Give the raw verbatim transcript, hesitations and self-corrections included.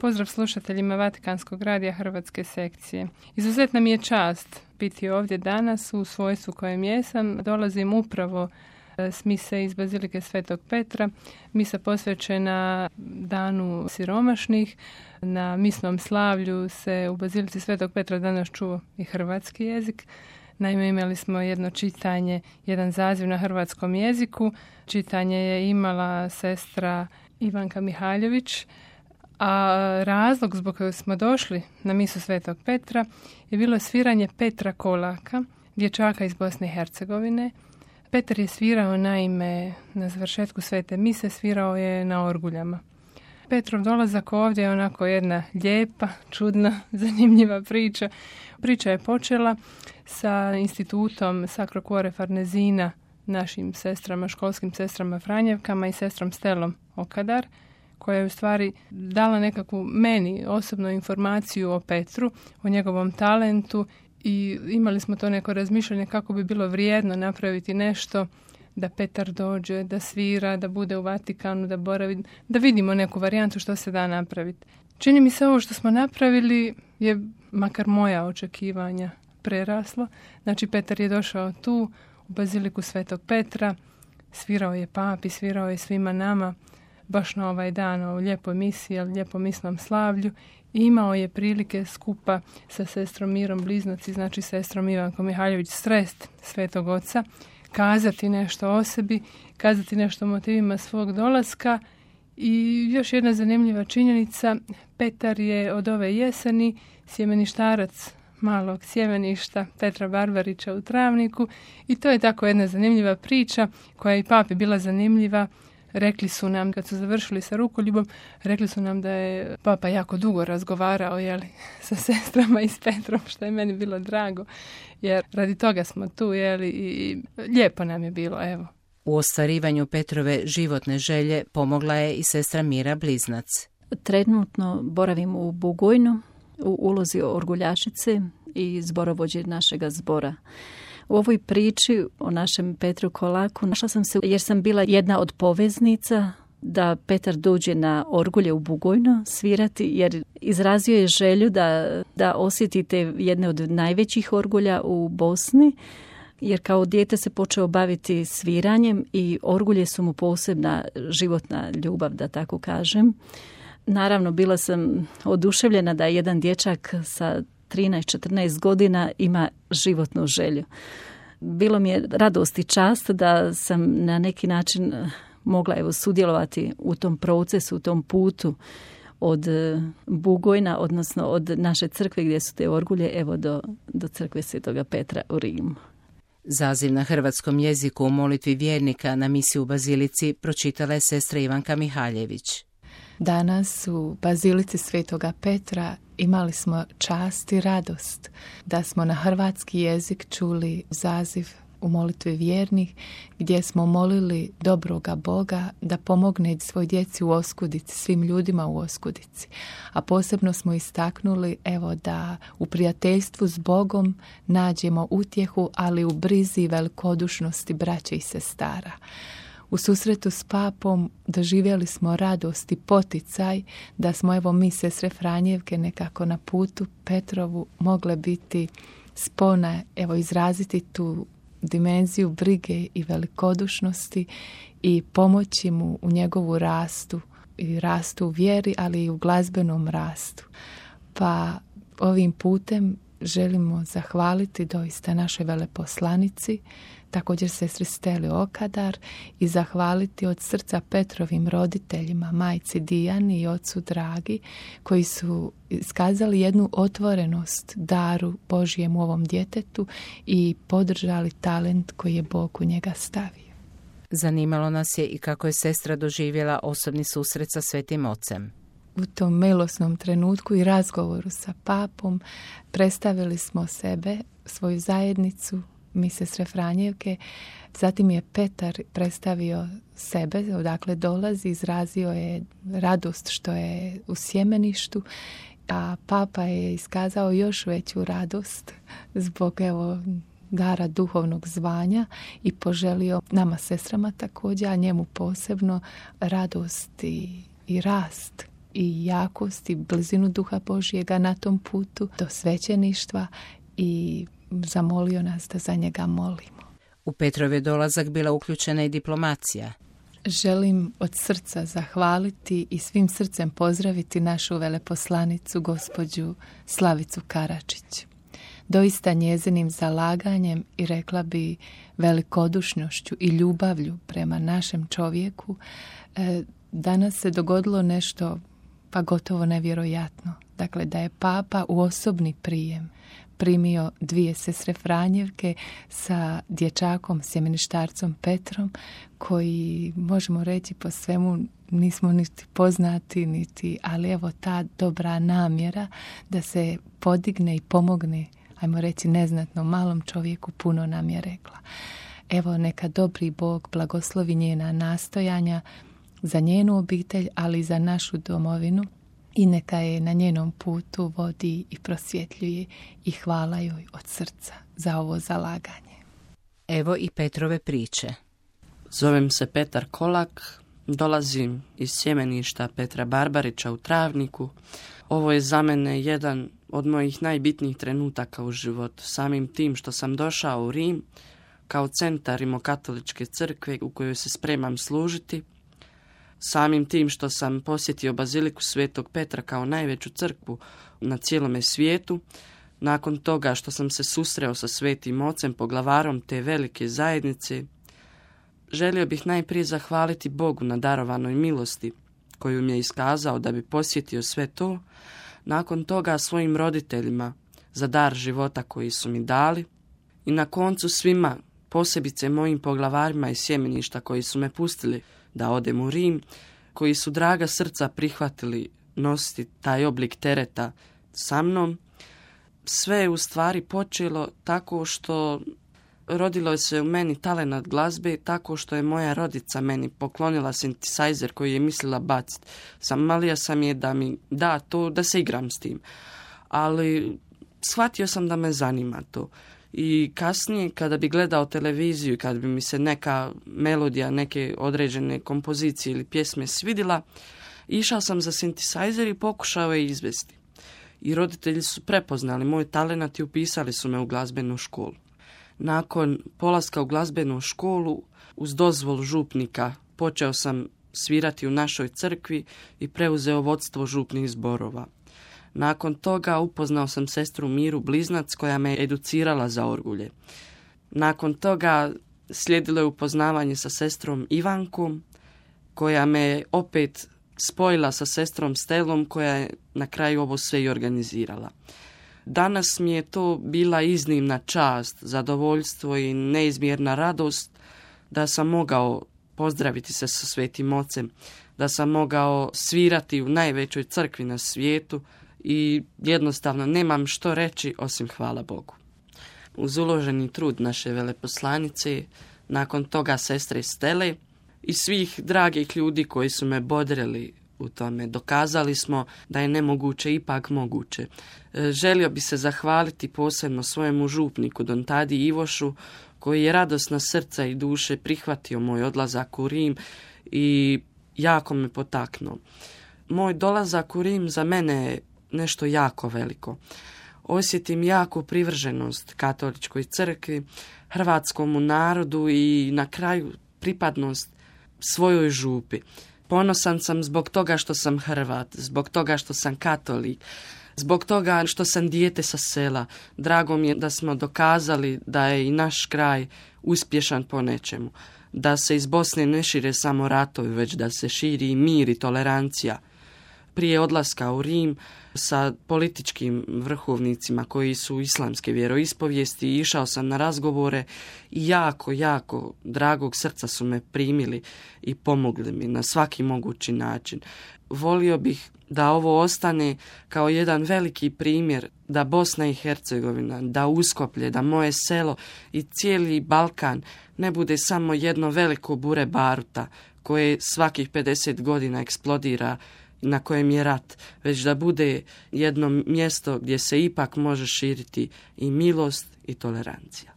Pozdrav slušateljima Vatikanskog radija Hrvatske sekcije. Izuzetna mi je čast biti ovdje danas u svojstvu kojem jesam. Dolazim upravo s mise iz Bazilike Svetog Petra. Misa posvećena Danu siromašnih. Na misnom slavlju se u Bazilici Svetog Petra danas čuo i hrvatski jezik. Naime, imali smo jedno čitanje, jedan zaziv na hrvatskom jeziku. Čitanje je imala sestra Ivanka Mihaljević, a razlog zbog kojeg smo došli na misu Svetog Petra je bilo sviranje Petra Kolaka, dječaka iz Bosne i Hercegovine. Petar je svirao, naime, na završetku svete mise, svirao je na orguljama. Petrov dolazak ovdje je onako jedna lijepa, čudna, zanimljiva priča. Priča je počela sa institutom Sacro Cuore Farnesina, našim sestrama, školskim sestrama Franjevkama i sestrom Stelom Okadar, koja je u stvari dala nekakvu meni osobnu informaciju o Petru, o njegovom talentu, i imali smo to neko razmišljanje kako bi bilo vrijedno napraviti nešto da Petar dođe, da svira, da bude u Vatikanu, da boravi, da vidimo neku varijantu što se da napraviti. Čini mi se ovo što smo napravili je, makar moja očekivanja, preraslo. Znači, Petar je došao tu u Baziliku Svetog Petra, svirao je papi, svirao je svima nama, baš na ovaj dan, o lijepoj misiji, lijepom misnom slavlju, i imao je prilike skupa sa sestrom Mirom Bliznac, znači sestrom Ivankom Mihaljević, Strest Svetog Oca, kazati nešto o sebi, kazati nešto o motivima svog dolaska. I još jedna zanimljiva činjenica, Petar je od ove jeseni sjemeništarac malog sjemeništa Petra Barbarića u Travniku, i to je tako jedna zanimljiva priča koja je i papi bila zanimljiva. Rekli su nam, kad su završili sa rukoljubom, rekli su nam da je papa jako dugo razgovarao, jeli, sa sestrama i s Petrom, što je meni bilo drago, jer radi toga smo tu, jeli, i lijepo nam je bilo, evo. U ostvarivanju Petrove životne želje pomogla je i sestra Mira Bliznac. Trenutno boravim u Bugojnu, u ulozi orguljašice i zborovođe našega zbora. U ovoj priči o našem Petru Kolaku našla sam se jer sam bila jedna od poveznica da Petar dođe na orgulje u Bugojno svirati, jer izrazio je želju da, da osjetite jedne od najvećih orgulja u Bosni, jer kao dijete se počeo baviti sviranjem i orgulje su mu posebna životna ljubav, da tako kažem. Naravno, bila sam oduševljena da jedan dječak sa trinaest četrnaest godina ima životnu želju. Bilo mi je radost i čast da sam na neki način mogla evo sudjelovati u tom procesu, u tom putu od Bugojna, odnosno od naše crkve gdje su te orgulje, evo do, do crkve Svetoga Petra u Rimu. Zaziv na hrvatskom jeziku u molitvi vjernika na misi u Bazilici pročitala je sestra Ivanka Mihaljević. Danas u Bazilici Svetoga Petra imali smo čast i radost da smo na hrvatski jezik čuli zaziv u molitvi vjernih, gdje smo molili dobroga Boga da pomogne svoj djeci u oskudici, svim ljudima u oskudici. A posebno smo istaknuli evo da u prijateljstvu s Bogom nađemo utjehu, ali u brizi i velikodušnosti braće i sestara. U susretu s papom doživjeli smo radost i poticaj da smo evo mi sestre Franjevke nekako na putu Petrovu mogle biti spona, evo izraziti tu dimenziju brige i velikodušnosti i pomoći mu u njegovu rastu i rastu u vjeri, ali i u glazbenom rastu. Pa ovim putem želimo zahvaliti doista našoj veleposlanici, također sestri Steli Okadar, i zahvaliti od srca Petrovim roditeljima, majci Dijani i ocu Dragi, koji su iskazali jednu otvorenost daru Božijem u ovom djetetu i podržali talent koji je Bog u njega stavio. Zanimalo nas je i kako je sestra doživjela osobni susret sa Svetim Ocem. U tom milosnom trenutku i razgovoru sa papom predstavili smo sebe, svoju zajednicu, mi sestre Franjevke. Zatim je Petar predstavio sebe, odakle dolazi, izrazio je radost što je u sjemeništu, a papa je iskazao još veću radost zbog evo dara duhovnog zvanja i poželio nama sestrama također, a njemu posebno radost i, i rast i jakost i blizinu Duha Božjega na tom putu do svećeništva i zamolio nas da za njega molimo. U Petrov je dolazak bila uključena i diplomacija. Želim od srca zahvaliti i svim srcem pozdraviti našu veleposlanicu, gospođu Slavicu Karačić. Doista njezinim zalaganjem i rekla bi velikodušnošću i ljubavlju prema našem čovjeku danas se dogodilo nešto pa gotovo nevjerojatno. Dakle, da je Papa u osobni prijem primio dvije sestre Franjevke sa dječakom, sjemeništarcom Petrom, koji, možemo reći, po svemu nismo niti poznati, niti, ali evo ta dobra namjera da se podigne i pomogne, ajmo reći, neznatno malom čovjeku, puno nam je rekla. Evo, neka dobri Bog blagoslovi njena nastojanja za njenu obitelj, ali i za našu domovinu, i neka je na njenom putu vodi i prosvjetljuje, i hvala joj od srca za ovo zalaganje. Evo i Petrove priče. Zovem se Petar Kolak, dolazim iz sjemeništa Petra Barbarića u Travniku. Ovo je za mene jedan od mojih najbitnijih trenutaka u životu, samim tim što sam došao u Rim kao centar rimokatoličke crkve u kojoj se spremam služiti, samim tim što sam posjetio Baziliku Svetog Petra kao najveću crkvu na cijelome svijetu, nakon toga što sam se susreo sa Svetim Ocem, poglavarom te velike zajednice, želio bih najprije zahvaliti Bogu na darovanoj milosti koju mi je iskazao da bi posjetio sve to, nakon toga svojim roditeljima za dar života koji su mi dali i na koncu svima, posebice mojim poglavarima iz sjemeništa koji su me pustili da odem u Rim, koji su draga srca prihvatili nositi taj oblik tereta sa mnom. Sve je u stvari počelo tako što rodilo se u meni talenat glazbe, tako što je moja rodica meni poklonila synthesizer koji je mislila baciti. Zamolio sam je da mi da to, da se igram s tim. Ali shvatio sam da me zanima to. I kasnije, kada bi gledao televiziju, kada bi mi se neka melodija, neke određene kompozicije ili pjesme svidila, išao sam za synthesizer i pokušao je izvesti. I roditelji su prepoznali moj talenat i upisali su me u glazbenu školu. Nakon polaska u glazbenu školu, uz dozvolu župnika, počeo sam svirati u našoj crkvi i preuzeo vodstvo župnih zborova. Nakon toga upoznao sam sestru Miru Bliznac koja me educirala za orgulje. Nakon toga slijedilo je upoznavanje sa sestrom Ivankom koja me opet spojila sa sestrom Stelom koja je na kraju ovo sve i organizirala. Danas mi je to bila iznimna čast, zadovoljstvo i neizmjerna radost da sam mogao pozdraviti se sa Svetim Ocem, da sam mogao svirati u najvećoj crkvi na svijetu i jednostavno nemam što reći osim hvala Bogu. Uz uloženi trud naše veleposlanice, nakon toga sestre Stele i svih dragih ljudi koji su me bodrili u tome, dokazali smo da je nemoguće ipak moguće. Želio bi se zahvaliti posebno svojemu župniku Don Tadi Ivošu koji je radosna srca i duše prihvatio moj odlazak u Rim i jako me potaknuo. Moj dolazak u Rim za mene je nešto jako veliko. Osjetim jaku privrženost katoličkoj crkvi, hrvatskomu narodu i na kraju pripadnost svojoj župi. Ponosan sam zbog toga što sam Hrvat, zbog toga što sam katolik, zbog toga što sam dijete sa sela. Drago mi je da smo dokazali da je i naš kraj uspješan po nečemu. Da se iz Bosne ne šire samo ratovi, već da se širi i mir i tolerancija. Prije odlaska u Rim sa političkim vrhovnicima koji su islamske vjeroispovijesti išao sam na razgovore i jako, jako dragog srca su me primili i pomogli mi na svaki mogući način. Volio bih da ovo ostane kao jedan veliki primjer da Bosna i Hercegovina, da Uskoplje, da moje selo i cijeli Balkan ne bude samo jedno veliko bure baruta koje svakih pedeset godina eksplodira na kojem je rat, već da bude jedno mjesto gdje se ipak može širiti i milost i tolerancija.